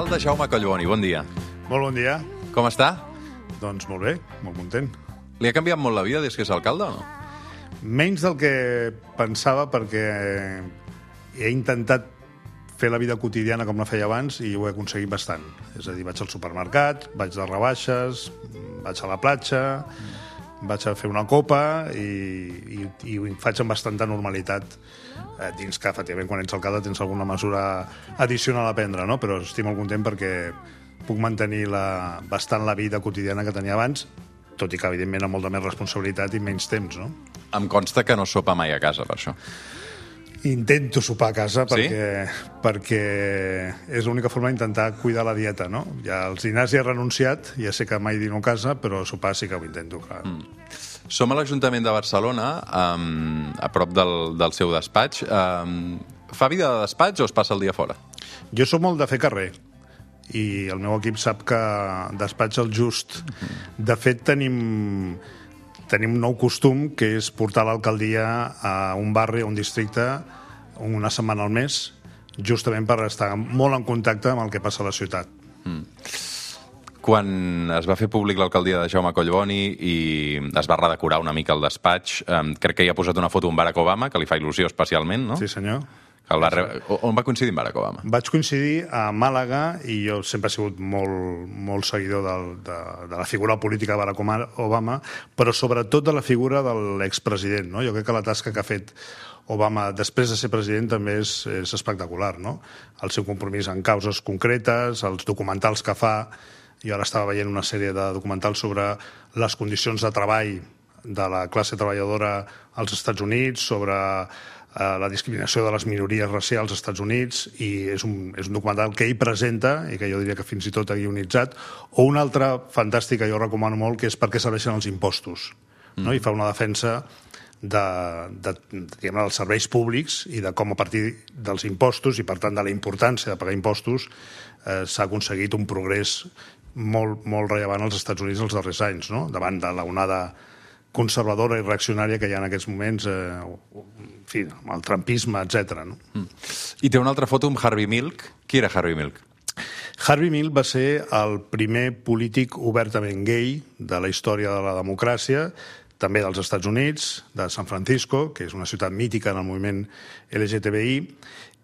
Alcalde Jaume Collboni, bon dia. Molt bon dia. Com està? Doncs molt bé, molt content. Li ha canviat molt la vida des que és alcalde o no? Menys del que pensava, perquè he intentat fer la vida quotidiana com la feia abans i ho he aconseguit bastant. És a dir, vaig al supermercat, vaig de rebaixes, vaig a la platja, vaig a fer una copa i ho faig amb bastanta normalitat dins que, efectivament, quan ets alcalde tens alguna mesura addicional a prendre, no? Però estic molt content perquè puc mantenir bastant la vida quotidiana que tenia abans, tot i que, evidentment, amb molta més responsabilitat i menys temps, no? Em consta que no sopa mai a casa, per això. Intento sopar a casa Sí? perquè és l'única forma d'intentar cuidar la dieta, no? Ja als dinars hi he renunciat, ja sé que mai dino a casa, però sopar sí que ho intento, clar. Som a l'Ajuntament de Barcelona, a prop del seu despatx. Fa vida de despatx o es passa el dia fora? Jo sóc molt de fer carrer i el meu equip sap que despatx el just. De fet, tenim un nou costum, que és portar l'alcaldia a un barri o un districte una setmana al mes, justament per estar molt en contacte amb el que passa a la ciutat. Quan es va fer públic l'alcaldia de Jaume Collboni i es va redecorar una mica el despatx, crec que hi ha posat una foto amb Barack Obama, que li fa il·lusió especialment, no? Sí, senyor. On va coincidir amb Barack Obama? Vaig coincidir a Màlaga i jo sempre he sigut molt seguidor de la figura política de Barack Obama, però sobretot de la figura de l'expresident, no? Jo crec que la tasca que ha fet Obama després de ser president també és espectacular, no? El seu compromís en causes concretes, els documentals que fa. Jo ara estava veient una sèrie de documentals sobre les condicions de treball de la classe treballadora als Estats Units, sobre la discriminació de les minories racials als Estats Units, i és un documental que ell presenta i que jo diria que fins i tot ha guionitzat, o un altre fantàstic que jo recomano molt, que és Per què serveixen els impostos, no? I fa una defensa dels serveis públics i de com a partir dels impostos i per tant de la importància de pagar impostos s'ha aconseguit un progrés molt rellevant als Estats Units els darrers anys, no? Davant de l'onada conservadora i reaccionària que hi ha en aquests moments, en fi, amb el trumpisme, etc. No? I té una altra foto amb Harvey Milk. Qui era Harvey Milk? Harvey Milk va ser el primer polític obertament gay de la història de la democràcia, també dels Estats Units, de San Francisco, que és una ciutat mítica en el moviment LGTBI,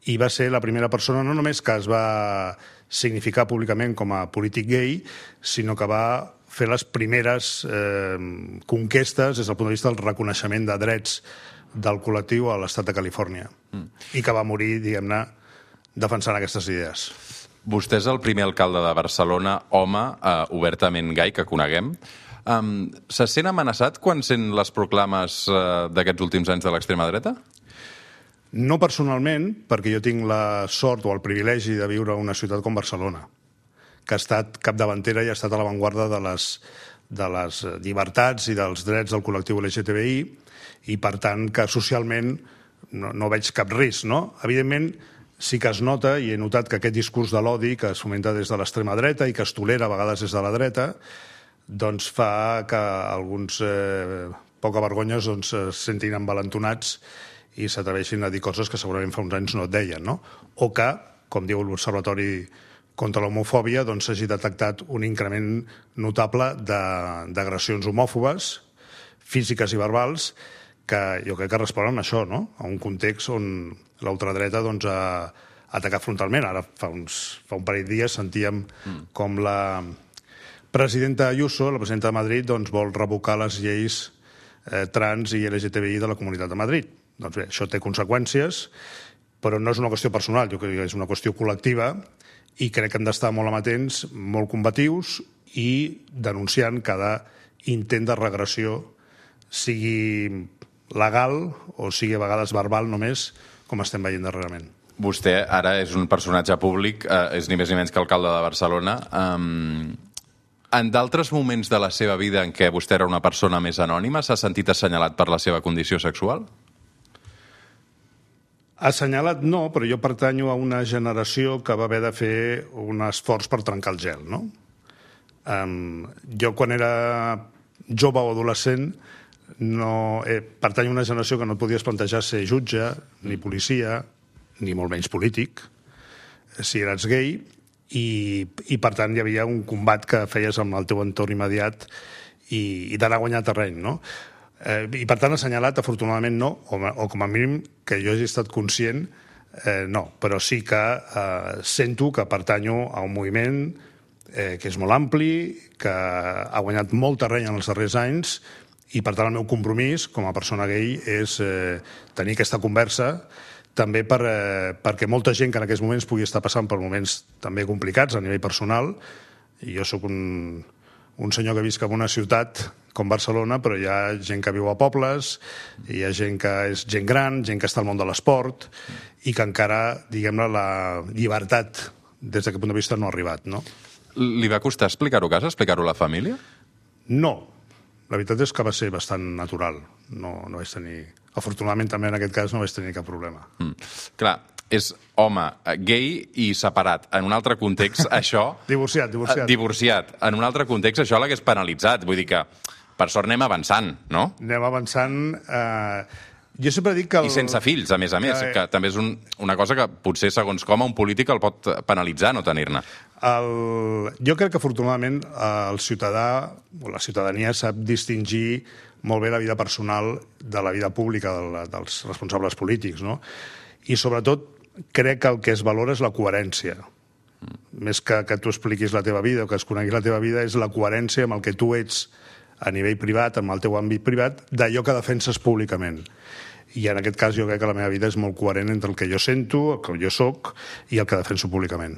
i va ser la primera persona no només que es va significar públicament com a polític gay, sinó que va fer les primeres conquestes des del punt de vista del reconeixement de drets del col·lectiu a l'estat de Califòrnia, i que va morir, diguem-ne, defensant aquestes idees. Vostè és el primer alcalde de Barcelona, home, obertament gai, que coneguem. Se sent amenaçat quan sent les proclames d'aquests últims anys de l'extrema dreta? No personalment, perquè jo tinc la sort o el privilegi de viure a una ciutat com Barcelona, que ha estat capdavantera i ha estat a l'avantguarda de les llibertats i dels drets del col·lectiu LGTBI, i per tant que socialment no veig cap risc, no? Evidentment, sí que es nota, i he notat que aquest discurs de l'odi que es fomenta des de l'extrema dreta i que es tolera a vegades des de la dreta, doncs fa que alguns poca vergonyes se sentin envalentonats i s'atreveixin a dir coses que segurament fa uns anys no et deien, no? O que, com diu l'Observatori contra l'homofòbia, doncs s'hagi detectat un increment notable d'agressions homòfobes, físiques i verbals, que jo crec que responen a això, no? A un context on l'ultradreta ha atacat frontalment. Ara, fa un parell de dies, sentíem com la presidenta Ayuso, la presidenta de Madrid, vol revocar les lleis trans i LGTBI de la Comunitat de Madrid. Doncs bé, això té conseqüències, però no és una qüestió personal, jo crec que és una qüestió col·lectiva, i crec que hem d'estar molt amatents, molt combatius i denunciant cada intent de regressió, sigui legal o sigui a vegades verbal només, com estem veient darrerament. Vostè ara és un personatge públic, és ni més ni menys que alcalde de Barcelona. En d'altres moments de la seva vida en què vostè era una persona més anònima, s'ha sentit assenyalat per la seva condició sexual? Assenyalat no, però jo pertanyo a una generació que va haver de fer un esforç per trencar el gel, no? Jo, quan era jove o adolescent, pertanyo a una generació que no et podies plantejar ser jutge, ni policia, ni molt menys polític, si eres gay, i per tant hi havia un combat que feies amb el teu entorn immediat i d'anar a guanyar terreny, no? I per tant assenyalat, afortunadament no, o com a mínim que jo hagi estat conscient, no, però sí que sento que pertanyo a un moviment que és molt ampli, que ha guanyat molt terreny en els darrers anys, i per tant el meu compromís com a persona gay és tenir aquesta conversa també perquè molta gent que en aquests moments pugui estar passant per moments també complicats a nivell personal, i jo sóc un senyor que visc en una ciutat com Barcelona, però hi ha gent que viu a pobles, hi ha gent que és gent gran, gent que està al món de l'esport, i que encara, diguem-ne, la llibertat des d'aquest punt de vista no ha arribat, no? Li va costar explicar-ho a casa, explicar-ho a la família? No. La veritat és que va ser bastant natural. No vaig tenir... Afortunadament, també en aquest cas, no vaig tenir cap problema. Clar, és home gay i separat. En un altre context, això... Divorciat. Divorciat. En un altre context, això l'hagués penalitzat. Vull dir que, per sort, anem avançant, no? Anem avançant... Jo sempre dic que... I sense fills, a més, que també és una cosa que potser, segons com, un polític el pot penalitzar no tenir-ne. Jo crec que, afortunadament, el ciutadà o la ciutadania sap distingir molt bé la vida personal de la vida pública dels responsables polítics, no? I, sobretot, crec que el que es valora és la coherència. Més que tu expliquis la teva vida o que es conegui la teva vida, és la coherència amb el que tu ets a nivell privat, amb el teu àmbit privat, d'allò que defenses públicament. I en aquest cas jo crec que la meva vida és molt coherent entre el que jo sento, el que jo soc i el que defenso públicament.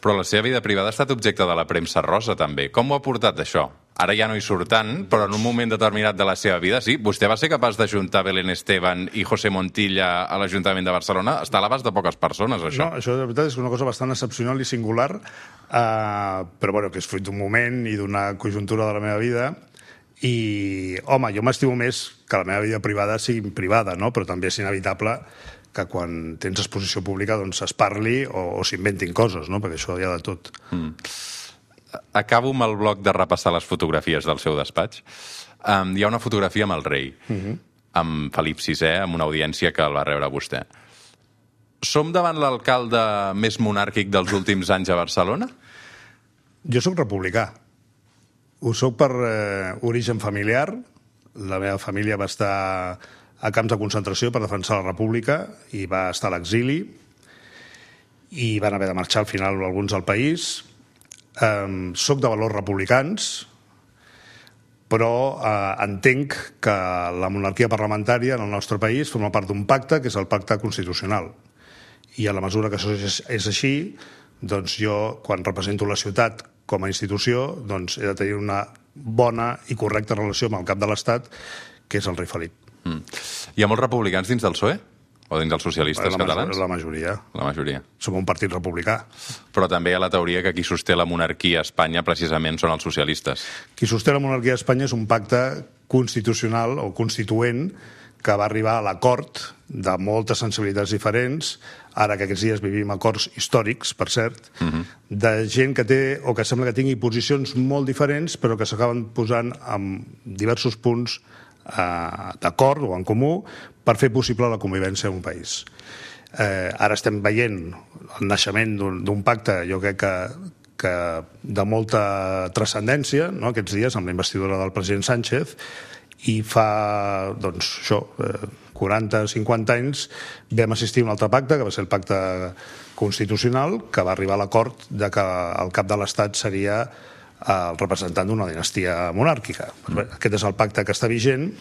Però la seva vida privada ha estat objecte de la premsa rosa, també. Com ho ha portat, això? Ara ja no hi surt tant, però en un moment determinat de la seva vida, sí, vostè va ser capaç d'ajuntar Belén Esteban i José Montilla a l'Ajuntament de Barcelona. Està a l'abast de poques persones, això. No, això de veritat és una cosa bastant excepcional i singular, però bueno, que és fruit d'un moment i d'una conjuntura de la meva vida. I, home, jo m'estimo més que la meva vida privada sigui privada, no? Però també és inevitable que quan tens exposició pública doncs es parli o s'inventin coses, no? Perquè això hi ha de tot. Acabo amb el bloc de repassar les fotografies del seu despatx. Hi ha una fotografia amb el rei, amb Felip VI, amb una audiència que el va rebre vostè. Som davant l'alcalde més monàrquic dels últims anys a Barcelona? Jo sóc republicà. Ho soc per origen familiar. La meva família va estar a camps de concentració per defensar la república i va estar a l'exili i van haver de marxar al final alguns del país. Soc de valors republicans, però entenc que la monarquia parlamentària en el nostre país forma part d'un pacte, que és el pacte constitucional. I a la mesura que això és així, doncs jo, quan represento la ciutat com a institució, doncs he de tenir una bona i correcta relació amb el cap de l'Estat, que és el rei Felip. Hi ha molts republicans dins del PSOE? O dins dels socialistes catalans? La majoria. La majoria. Som un partit republicà. Però també hi ha la teoria que qui sosté la monarquia a Espanya precisament són els socialistes. Qui sosté la monarquia a Espanya és un pacte constitucional o constituent que va arribar a l'acord de moltes sensibilitats diferents, ara que aquests dies vivim acords històrics, per cert, de gent que té o que sembla que tingui posicions molt diferents, però que s'acaben posant en diversos punts d'acord o en comú per fer possible la convivència en un país. Ara estem veient el naixement d'un pacte, jo crec que de molta transcendència, no?, aquests dies, amb la investidura del president Sánchez, i fa, doncs, això, 40-50 anys vam assistir a un altre pacte, que va ser el pacte constitucional, que va arribar a l'acord de que el cap de l'Estat seria el representant d'una dinastia monàrquica. Aquest és el pacte que està vigent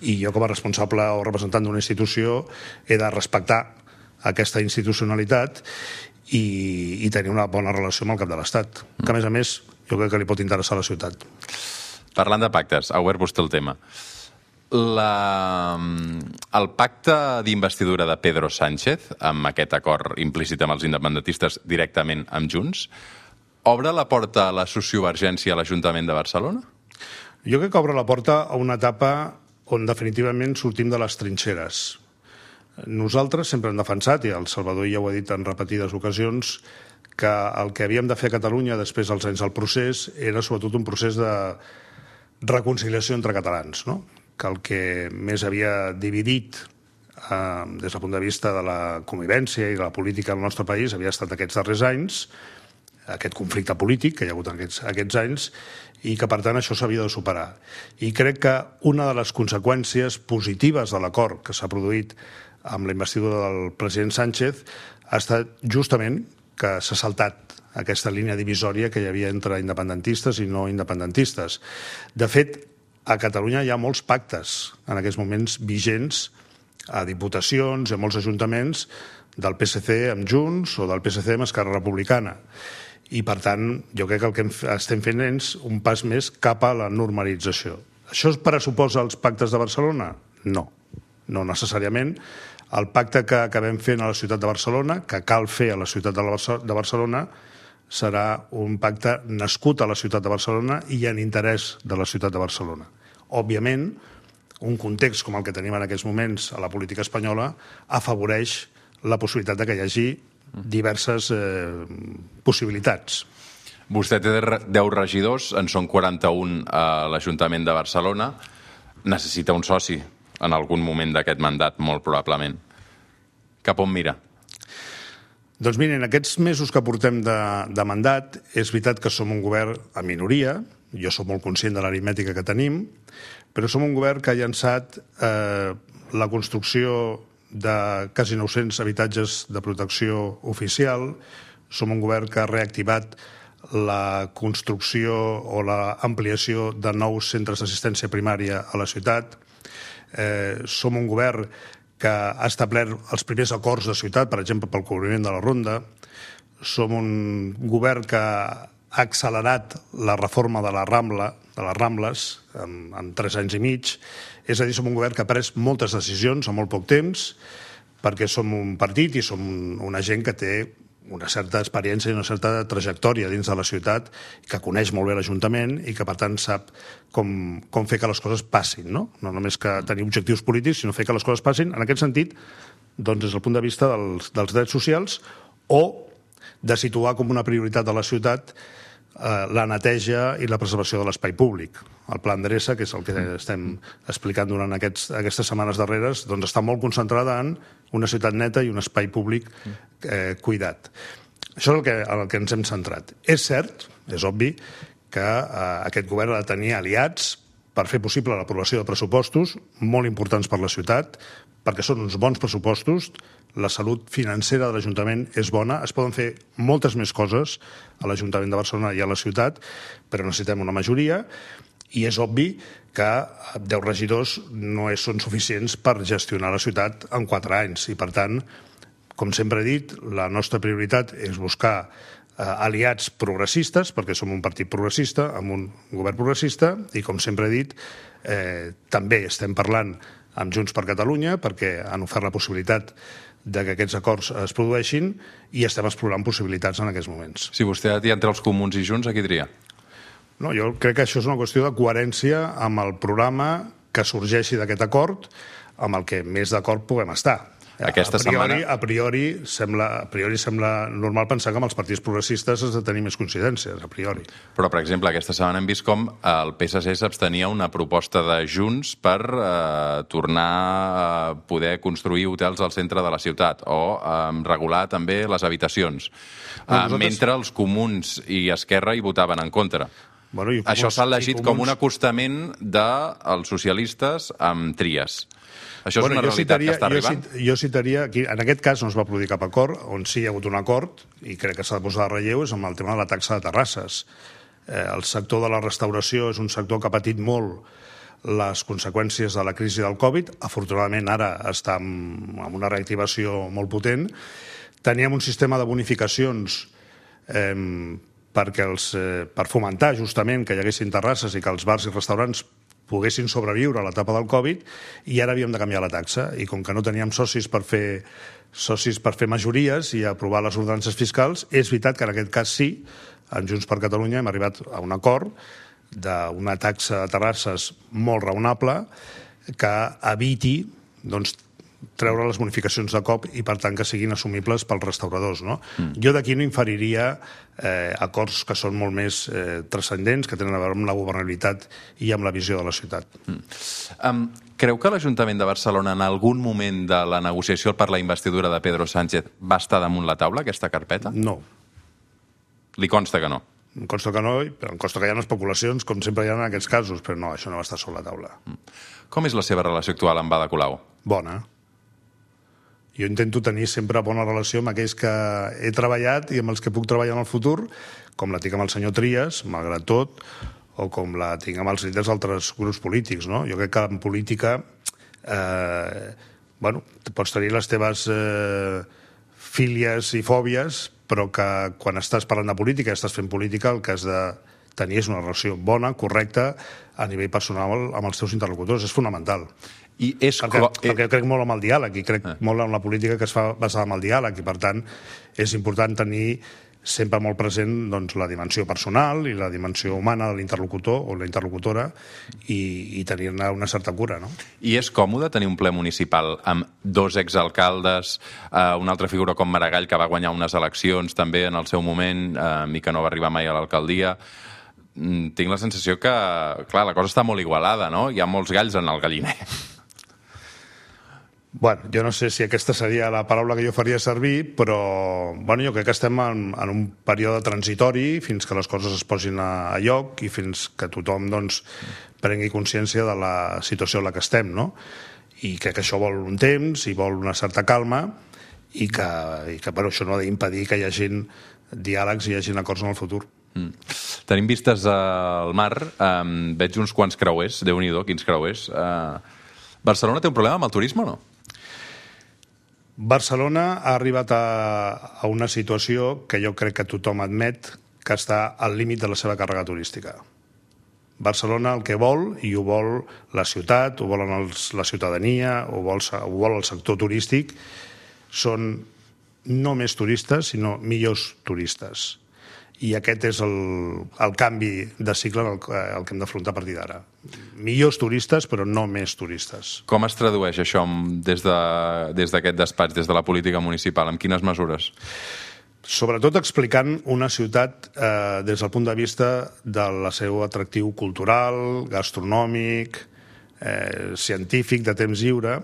i jo, com a responsable o representant d'una institució, he de respectar aquesta institucionalitat i tenir una bona relació amb el cap de l'Estat, que, a més, jo crec que li pot interessar a la ciutat. Parlant de pactes, ha obert vostè el tema. El pacte d'investidura de Pedro Sánchez, amb aquest acord implícit amb els independentistes directament amb Junts, obre la porta a la sociovergència a l'Ajuntament de Barcelona? Jo crec que obre la porta a una etapa on definitivament sortim de les trinxeres. Nosaltres sempre hem defensat, i el Salvador ja ho ha dit en repetides ocasions, que el que havíem de fer a Catalunya després dels anys del procés era sobretot un procés de reconciliació entre catalans, no? Que el que més havia dividit des del punt de vista de la convivència i de la política al nostre país havia estat aquests darrers anys aquest conflicte polític que hi ha hagut aquests anys i que, per tant, això s'havia de superar. I crec que una de les conseqüències positives de l'acord que s'ha produït amb la investidura del president Sánchez ha estat justament que s'ha saltat aquesta línia divisòria que hi havia entre independentistes i no independentistes. De fet, a Catalunya hi ha molts pactes en aquests moments vigents a diputacions i a molts ajuntaments del PSC amb Junts o del PSC amb Esquerra Republicana. I, per tant, jo crec que el que estem fent és un pas més cap a la normalització. Això pressuposa els pactes de Barcelona? No, no necessàriament. El pacte que acabem fent a la ciutat de Barcelona, que cal fer a la ciutat de Barcelona, serà un pacte nascut a la ciutat de Barcelona i en interès de la ciutat de Barcelona. Òbviament, un context com el que tenim en aquests moments a la política espanyola afavoreix la possibilitat que hi hagi diverses possibilitats. Vostè té 10 regidors, en són 41 a l'Ajuntament de Barcelona. Necessita un soci en algun moment d'aquest mandat, molt probablement. Cap on mira? Doncs miren, aquests mesos que portem de mandat, és veritat que som un govern a minoria, jo soc molt conscient de l'aritmètica que tenim, però som un govern que ha llançat la construcció de quasi 900 habitatges de protecció oficial, som un govern que ha reactivat la construcció o l'ampliació de nous centres d'assistència primària a la ciutat, som un govern que ha establert els primers acords de ciutat, per exemple, pel cobriment de la Ronda. Som un govern que ha accelerat la reforma de les Rambles en 3 anys i mig. És a dir, som un govern que ha pres moltes decisions en molt poc temps, perquè som un partit i som una gent que té una certa experiència i una certa trajectòria dins de la ciutat, que coneix molt bé l'Ajuntament i que, per tant, sap com fer que les coses passin, no? No només que tenir objectius polítics, sinó fer que les coses passin. En aquest sentit, doncs, des del punt de vista dels drets socials o de situar com una prioritat de la ciutat la neteja i la preservació de l'espai públic. El Pla Endreça, que és el que estem explicant durant aquestes setmanes darreres, doncs està molt concentrada en una ciutat neta i un espai públic cuidat. Això és el que ens hem centrat. És cert, és obvi, que aquest govern ha de tenir aliats per fer possible l'aprovació de pressupostos molt importants per la ciutat, perquè són uns bons pressupostos, la salut financera de l'Ajuntament és bona, es poden fer moltes més coses a l'Ajuntament de Barcelona i a la ciutat, però necessitem una majoria, i és obvi que 10 regidors no són suficients per gestionar la ciutat en 4 anys, i per tant, com sempre he dit, la nostra prioritat és buscar aliats progressistes, perquè som un partit progressista, amb un govern progressista, i com sempre he dit, també estem parlant amb Junts per Catalunya, perquè han ofert la possibilitat de que aquests acords es produeixin i estem explorant possibilitats en aquests moments. Si vostè ha de triar entre els Comuns i Junts, a qui tria? No, jo crec que això és una qüestió de coherència amb el programa que sorgeixi d'aquest acord, amb el que més d'acord puguem estar. A priori sembla normal pensar que amb els partits progressistes has de tenir més coincidències, a priori. Però, per exemple, aquesta setmana hem vist com el PSC s'abstenia una proposta de Junts per tornar a poder construir hotels al centre de la ciutat o regular també les habitacions, mentre els Comuns i Esquerra hi votaven en contra. Això s'ha llegit com un acostament dels socialistes amb Trias. Això és una realitat que està arribant? Jo citaria, en aquest cas no es va produir cap acord, on sí hi ha hagut un acord, i crec que s'ha de posar de relleu, és amb el tema de la taxa de terrasses. El sector de la restauració és un sector que ha patit molt les conseqüències de la crisi del Covid. Afortunadament ara està amb una reactivació molt potent. Teníem un sistema de bonificacions per fomentar justament que hi haguessin terrasses i que els bars i restaurants poguessin sobreviure a l'etapa del Covid, i ara havíem de canviar la taxa. I com que no teníem socis per fer majories i aprovar les ordenances fiscals, és veritat que en aquest cas sí, en Junts per Catalunya hem arribat a un acord d'una taxa de terrasses molt raonable que eviti treure les bonificacions de cop i, per tant, que siguin assumibles pels restauradors. Jo d'aquí no inferiria acords que són molt més transcendents, que tenen a veure amb la governabilitat i amb la visió de la ciutat. Creu que l'Ajuntament de Barcelona en algun moment de la negociació per la investidura de Pedro Sánchez va estar damunt la taula, aquesta carpeta? No. Li consta que no? Em consta que no, però em consta que hi ha especulacions, com sempre hi ha en aquests casos, però no, això no va estar sobre la taula. Com és la seva relació actual amb Ada Colau? Bona. Jo intento tenir sempre bona relació amb aquells que he treballat i amb els que puc treballar en el futur, com la tinc amb el senyor Trias, malgrat tot, o com la tinc amb els líders d'altres grups polítics, no? Jo crec que en política pots tenir les teves fílies i fòbies, però que quan estàs parlant de política i estàs fent política el que has de tenir és una relació bona, correcta, a nivell personal amb els teus interlocutors. És fonamental. Perquè crec molt en el diàleg i crec molt en la política que es fa basada en el diàleg i, per tant, és important tenir sempre molt present la dimensió personal i la dimensió humana de l'interlocutor o la interlocutora i tenir-ne una certa cura, no? I és còmode tenir un ple municipal amb 2 exalcaldes, una altra figura com Maragall, que va guanyar unes eleccions també en el seu moment i que no va arribar mai a l'alcaldia. Tinc la sensació que, clar, la cosa està molt igualada, no? Hi ha molts galls en el galliner. Bueno, jo no sé si aquesta seria la paraula que jo faria servir, però jo crec que estem en un període transitori fins que les coses es posin a lloc i fins que tothom prengui consciència de la situació en la que estem, no? I crec que això vol un temps i vol una certa calma i que això no ha d'impedir que hi hagin diàlegs i hi hagin acords en el futur. Tenim vistes al mar, veig uns quants creuers, Déu-n'hi-do, quins creuers. Barcelona té un problema amb el turisme o no? Barcelona ha arribat a una situació que jo crec que tothom admet que està al límit de la seva càrrega turística. Barcelona el que vol, i ho vol la ciutat, ho volen la ciutadania, ho vol el sector turístic, són no més turistes, sinó millors turistes. I aquest és el canvi de cicle el que hem d'afrontar a partir d'ara. Millors turistes, però no més turistes. Com es tradueix això des d'aquest despatx, des de la política municipal? Amb quines mesures? Sobretot explicant una ciutat des del punt de vista del seu atractiu cultural, gastronòmic, científic, de temps lliure,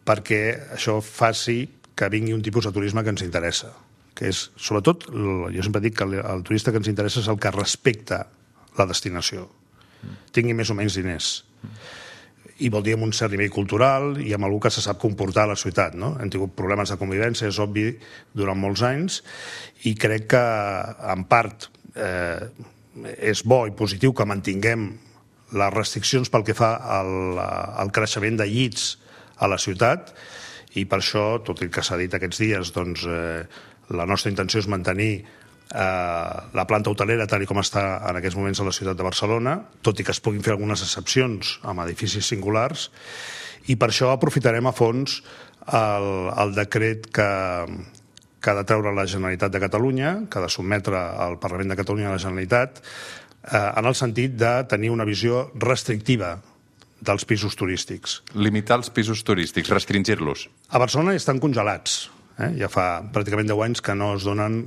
perquè això faci que vingui un tipus de turisme que ens interessa, que és, sobretot, jo sempre dic que el turista que ens interessa és el que respecta la destinació, tingui més o menys diners. I vol dir amb un cert nivell cultural i amb algú que se sap comportar a la ciutat, no? Hem tingut problemes de convivència, és obvi, durant molts anys, i crec que, en part, és bo i positiu que mantinguem les restriccions pel que fa al creixement de llits a la ciutat, i per això, tot el que s'ha dit aquests dies, la nostra intenció és mantenir la planta hotelera tal com està en aquests moments a la ciutat de Barcelona, tot i que es puguin fer algunes excepcions amb edificis singulars, i per això aprofitarem a fons el decret que ha de treure la Generalitat de Catalunya, que ha de sotmetre al Parlament de Catalunya a la Generalitat, en el sentit de tenir una visió restrictiva dels pisos turístics. Limitar els pisos turístics, restringir-los. A Barcelona estan congelats. Ja fa pràcticament 10 anys que no es donen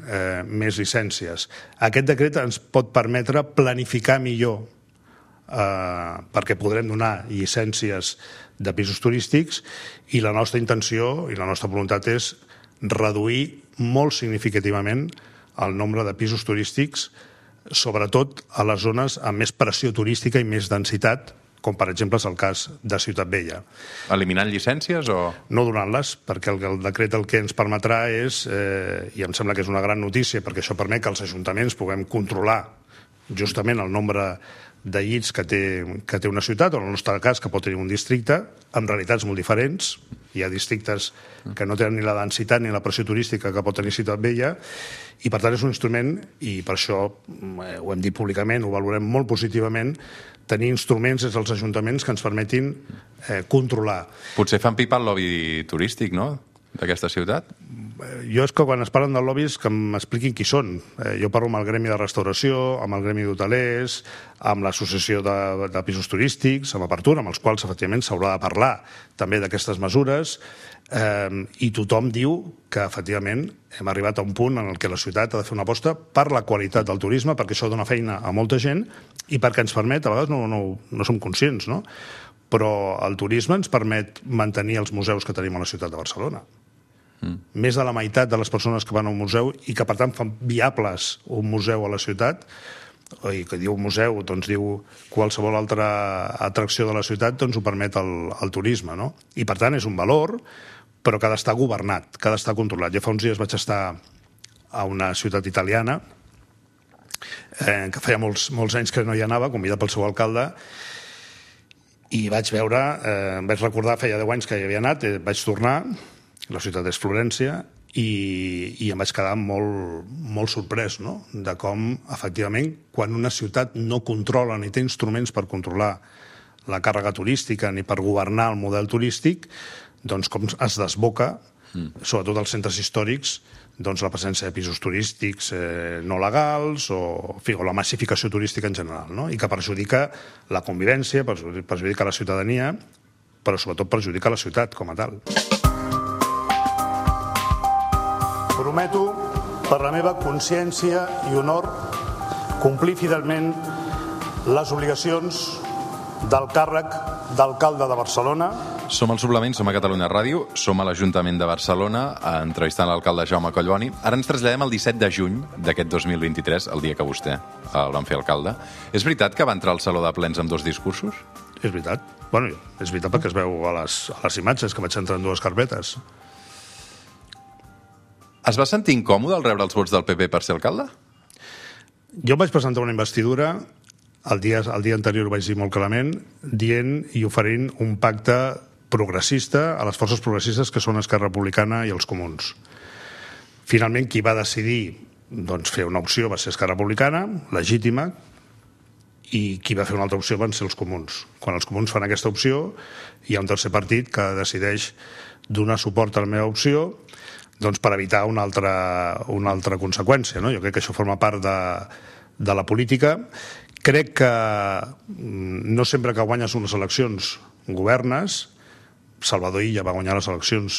més llicències. Aquest decret ens pot permetre planificar millor perquè podrem donar llicències de pisos turístics i la nostra intenció i la nostra voluntat és reduir molt significativament el nombre de pisos turístics, sobretot a les zones amb més pressió turística i més densitat, com per exemple és el cas de Ciutat Vella. Eliminant llicències o...? No donant-les, perquè el decret el que ens permetrà és, i em sembla que és una gran notícia, perquè això permet que els ajuntaments puguem controlar justament el nombre de llits que té una ciutat, o en el nostre cas que pot tenir un districte, amb realitats molt diferents. Hi ha districtes que no tenen ni la densitat ni la pressió turística que pot tenir Ciutat Vella, i per tant és un instrument, i per això ho hem dit públicament, ho valorem molt positivament, tenir instruments des dels ajuntaments que ens permetin controlar. Potser fan pipa al lobby turístic, no?, d'aquesta ciutat? Jo és que quan es parlen de lobbies que m'expliquin qui són. Jo parlo amb el gremi de restauració, amb el gremi d'hotelers, amb l'associació de pisos turístics, amb Apertura, amb els quals efectivament s'haurà de parlar també d'aquestes mesures, i tothom diu que efectivament hem arribat a un punt en què la ciutat ha de fer una aposta per la qualitat del turisme, perquè això dona feina a molta gent i perquè ens permet, a vegades no som conscients, no?, però el turisme ens permet mantenir els museus que tenim a la ciutat de Barcelona. Més de la meitat de les persones que van a un museu i que, per tant, fan viables un museu a la ciutat, i que diu museu, doncs diu qualsevol altra atracció de la ciutat, doncs ho permet el turisme, no? I, per tant, és un valor, però que ha d'estar governat, que ha d'estar controlat. Jo fa uns dies vaig estar a una ciutat italiana, que feia molts anys que no hi anava, convidat pel seu alcalde, i vaig veure, em vaig recordar, feia 10 anys que hi havia anat, vaig tornar, la ciutat és Florència, i em vaig quedar molt sorprès, no?, de com, efectivament, quan una ciutat no controla ni té instruments per controlar la càrrega turística ni per governar el model turístic, doncs com es desboca, sobretot als centres històrics, doncs la presència de pisos turístics no legals o la massificació turística en general, no?, i que perjudica la convivència, perjudica la ciutadania, però sobretot perjudica la ciutat com a tal. Prometo, per la meva consciència i honor, complir fidelment les obligacions del càrrec d'alcalde de Barcelona. Som al Suplement, som a Catalunya Ràdio, som a l'Ajuntament de Barcelona, entrevistant l'alcalde Jaume Collboni. Ara ens traslladem al 17 de juny d'aquest 2023, el dia que vostè el van fer alcalde. És veritat que va entrar al Saló de Plens amb 2 discursos? És veritat. Bueno, és veritat perquè es veu a les imatges que vaig entrar en 2 carpetes. Es va sentir incòmode al rebre els vots del PP per ser alcalde? Jo vaig presentar una investidura, el dia anterior ho vaig dir molt clarament, dient i oferint un pacte progressista a les forces progressistes que són Esquerra Republicana i els Comuns. Finalment, qui va decidir fer una opció va ser Esquerra Republicana, legítima, i qui va fer una altra opció van ser els Comuns. Quan els Comuns fan aquesta opció, hi ha un tercer partit que decideix donar suport a la meva opció, doncs per evitar una altra conseqüència, no? Jo crec que això forma part de la política. Crec que no sempre que guanyes unes eleccions governes. Salvador Illa va guanyar les eleccions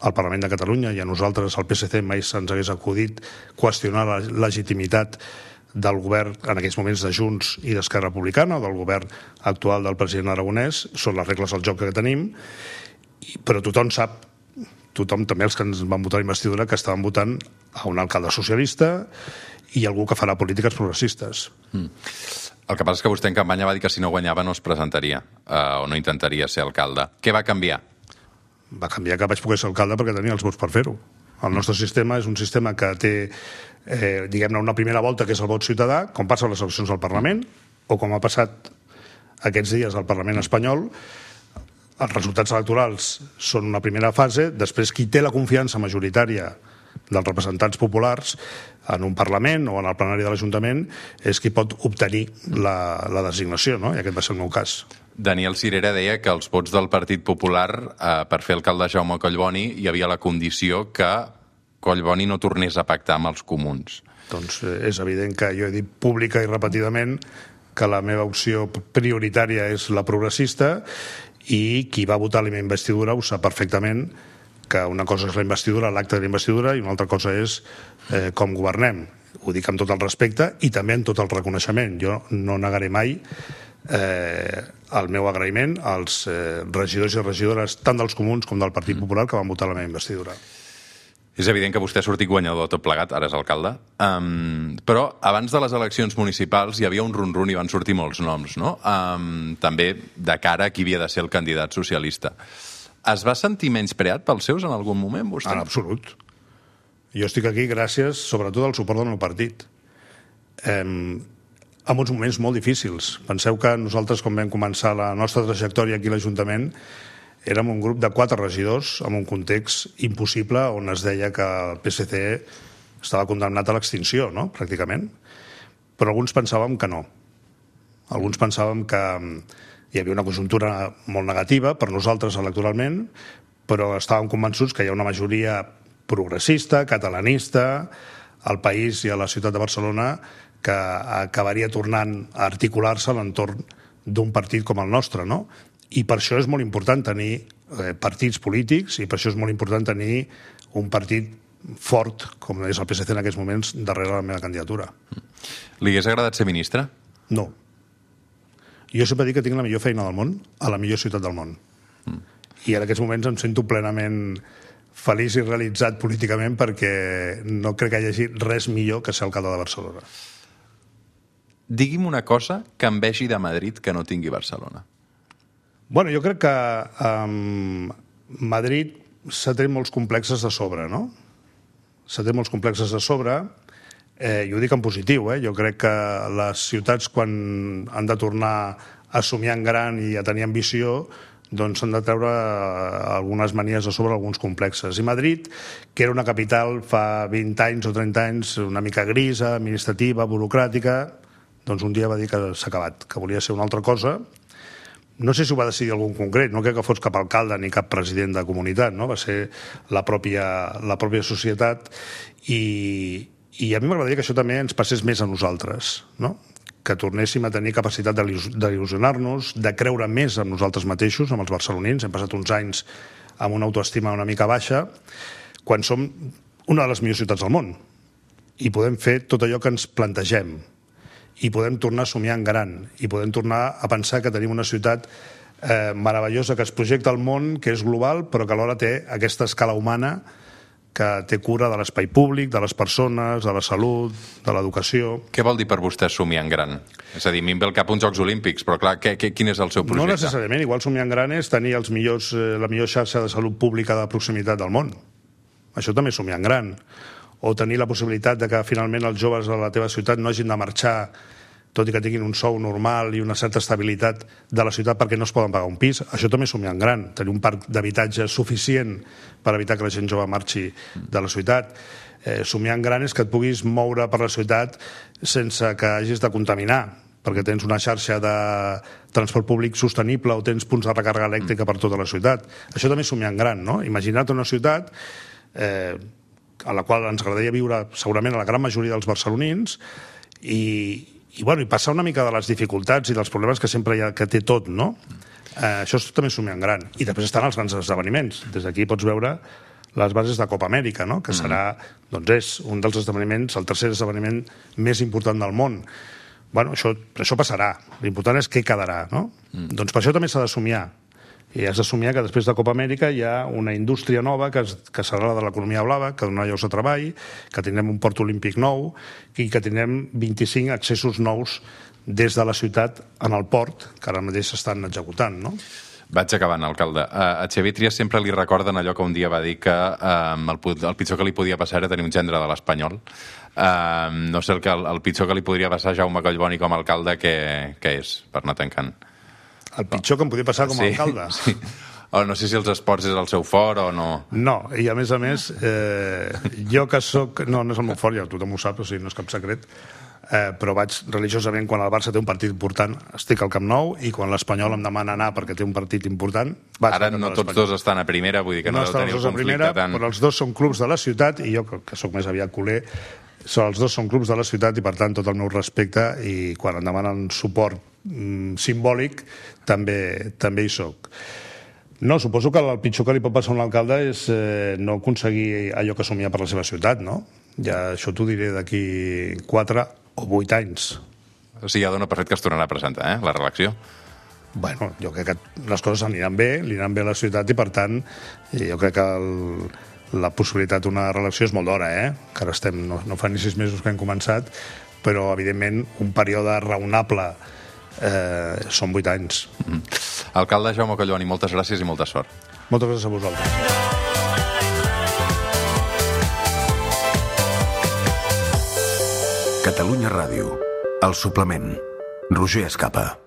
al Parlament de Catalunya i a nosaltres, al PSC, mai se'ns hagués acudit qüestionar la legitimitat del govern, en aquells moments de Junts i d'Esquerra Republicana, o del govern actual del president Aragonès. Són les regles del joc que tenim, però tothom sap, també els que ens van votar a investidura, que estaven votant a un alcalde socialista i algú que farà polítiques progressistes. El que passa és que vostè en campanya va dir que si no guanyava no es presentaria o no intentaria ser alcalde. Què va canviar? Va canviar que vaig poder ser alcalde perquè tenia els vots per fer-ho. El nostre sistema és un sistema que té, diguem-ne, una primera volta, que és el vot ciutadà, com passa a les eleccions al Parlament, o com ha passat aquests dies al Parlament espanyol. Els resultats electorals són una primera fase, després qui té la confiança majoritària dels representants populars en un Parlament o en el plenari de l'Ajuntament és qui pot obtenir la designació, no? I aquest va ser el meu cas. Daniel Cirera deia que els vots del Partit Popular per fer alcalde Jaume Collboni hi havia la condició que Collboni no tornés a pactar amb els Comuns. Doncs és evident que jo he dit pública i repetidament que la meva opció prioritària és la progressista i qui va votar la meva investidura ho sap perfectament, que una cosa és la investidura, l'acte de la investidura, i una altra cosa és com governem. Ho dic amb tot el respecte i també amb tot el reconeixement. Jo no negaré mai el meu agraïment als regidors i regidores tant dels Comuns com del Partit Popular que van votar la meva investidura. És evident que vostè ha sortit guanyador tot plegat, ara és alcalde, però abans de les eleccions municipals hi havia un run-run i van sortir molts noms, no? També de cara a qui havia de ser el candidat socialista. Es va sentir menyspreat pels seus en algun moment, vostè? En absolut. Jo estic aquí gràcies, sobretot, al suport del meu partit. En uns moments molt difícils. Penseu que nosaltres, quan vam començar la nostra trajectòria aquí a l'Ajuntament, érem un grup de 4 regidors en un context impossible on es deia que el PSC estava condemnat a l'extinció, no?, pràcticament. Però alguns pensàvem que no. Alguns pensàvem que hi havia una conjuntura molt negativa per nosaltres electoralment, però estàvem convençuts que hi ha una majoria progressista, catalanista, al país i a la ciutat de Barcelona que acabaria tornant a articular-se a l'entorn d'un partit com el nostre, no? I per això és molt important tenir partits polítics i per això és molt important tenir un partit fort, com és el PSC en aquests moments, darrere la meva candidatura. Li hagués agradat ser ministre? No. Jo sempre dic que tinc la millor feina del món a la millor ciutat del món. I en aquests moments em sento plenament feliç i realitzat políticament, perquè no crec que hi hagi res millor que ser alcalde de Barcelona. Digui'm una cosa que envegi de Madrid que no tingui Barcelona. Bueno, jo crec que Madrid s'ha tret molts complexes de sobre, no? S'ha tret molts complexes de sobre, i ho dic en positiu, Jo crec que les ciutats, quan han de tornar a somiar en gran i a tenir ambició, doncs s'han de treure algunes manies de sobre, alguns complexes. I Madrid, que era una capital fa 20 anys o 30 anys una mica grisa, administrativa, burocràtica, doncs un dia va dir que s'ha acabat, que volia ser una altra cosa. No sé si ho va decidir algun concret, no crec que fos cap alcalde ni cap president de comunitat, no? Va ser la pròpia societat, i a mi m'agradaria que això també ens passés més a nosaltres, no? Que tornéssim a tenir capacitat d'il·lusionar-nos, de creure més en nosaltres mateixos, amb els barcelonins. Hem passat uns anys amb una autoestima una mica baixa, quan som una de les millors ciutats del món, i podem fer tot allò que ens plantegem, i podem tornar a somiar en gran, i podem tornar a pensar que tenim una ciutat meravellosa que es projecta al món, que és global, però que alhora té aquesta escala humana, que té cura de l'espai públic, de les persones, de la salut, de l'educació. Què vol dir per vostè somiar en gran? És a dir, a mi em ve al cap uns Jocs Olímpics, però clar, quin és el seu projecte? No necessàriament, igual somiar en gran és tenir la millor xarxa de salut pública de proximitat del món. Això també és somiar en gran. O tenir la possibilitat de que finalment els joves de la teva ciutat no hagin de marxar, tot i que tinguin un sou normal i una certa estabilitat de la ciutat, perquè no es poden pagar un pis. Això també és somiar en gran, tenir un parc d'habitatge suficient per evitar que la gent jove marxi de la ciutat. Somiar en gran és que et puguis moure per la ciutat sense que hagis de contaminar, perquè tens una xarxa de transport públic sostenible o tens punts de recàrrega elèctrica per tota la ciutat. Això també és somiar en gran, no? Imagina't una ciutat a la qual ens agradaria viure segurament a la gran majoria dels barcelonins, i passar una mica de les dificultats i dels problemes que sempre hi ha, que té tot, no? Això també és somiar en gran. I després estan els grans esdeveniments. Des d'aquí pots veure les bases de Copa Amèrica, no? Que serà, doncs és un dels esdeveniments, el tercer esdeveniment més important del món. Bueno, això passarà. L'important és què quedarà, no? Doncs per això també s'ha de somiar. I has de somiar que després de Copa Amèrica hi ha una indústria nova que serà la de l'economia blava, que donarà llocs de treball, que tindrem un port olímpic nou i que tindrem 25 accessos nous des de la ciutat en el port, que ara mateix s'estan executant, no? Vaig acabant, alcalde. A Xavier Trias sempre li recorden allò que un dia va dir que el pitjor que li podia passar era tenir un gendre de l'Espanyol. No sé el pitjor que li podria passar a Jaume Collboni com a alcalde, què és, per anar tancant? El pitjor que em podia passar com a alcalde? Sí. O no sé si els esports és el seu fort o no. No, i a més, jo que soc... No és el meu fort, ja tothom ho sap, o sigui, no és cap secret, però vaig religiosament, quan el Barça té un partit important, estic al Camp Nou, i quan l'Espanyol em demana anar perquè té un partit important... Ara no tots dos estan a primera, vull dir que no deu tenir un conflicte tant... Però els dos són clubs de la ciutat, i jo, que sóc més aviat culer, els dos són clubs de la ciutat i, per tant, tot el meu respecte, i quan em demanen suport simbòlic també hi soc. No, suposo que el pitjor que li pot passar a un alcalde és no aconseguir allò que somia per la seva ciutat, no? Ja això t'ho diré d'aquí 4 o 8 anys. O sigui, ja dona per fet que es tornarà a presentar, la reelecció? Bueno, jo crec que les coses aniran bé, li aniran bé a la ciutat, i per tant jo crec que la possibilitat d'una reelecció és molt d'hora, que ara estem, no fa ni 6 mesos que hem començat, però evidentment un període raonable són 8 anys. Alcalde Jaume Collboni, moltes gràcies i molta sort. Moltes gràcies a vosaltres. Catalunya Ràdio, El Suplement, Roger Escapa.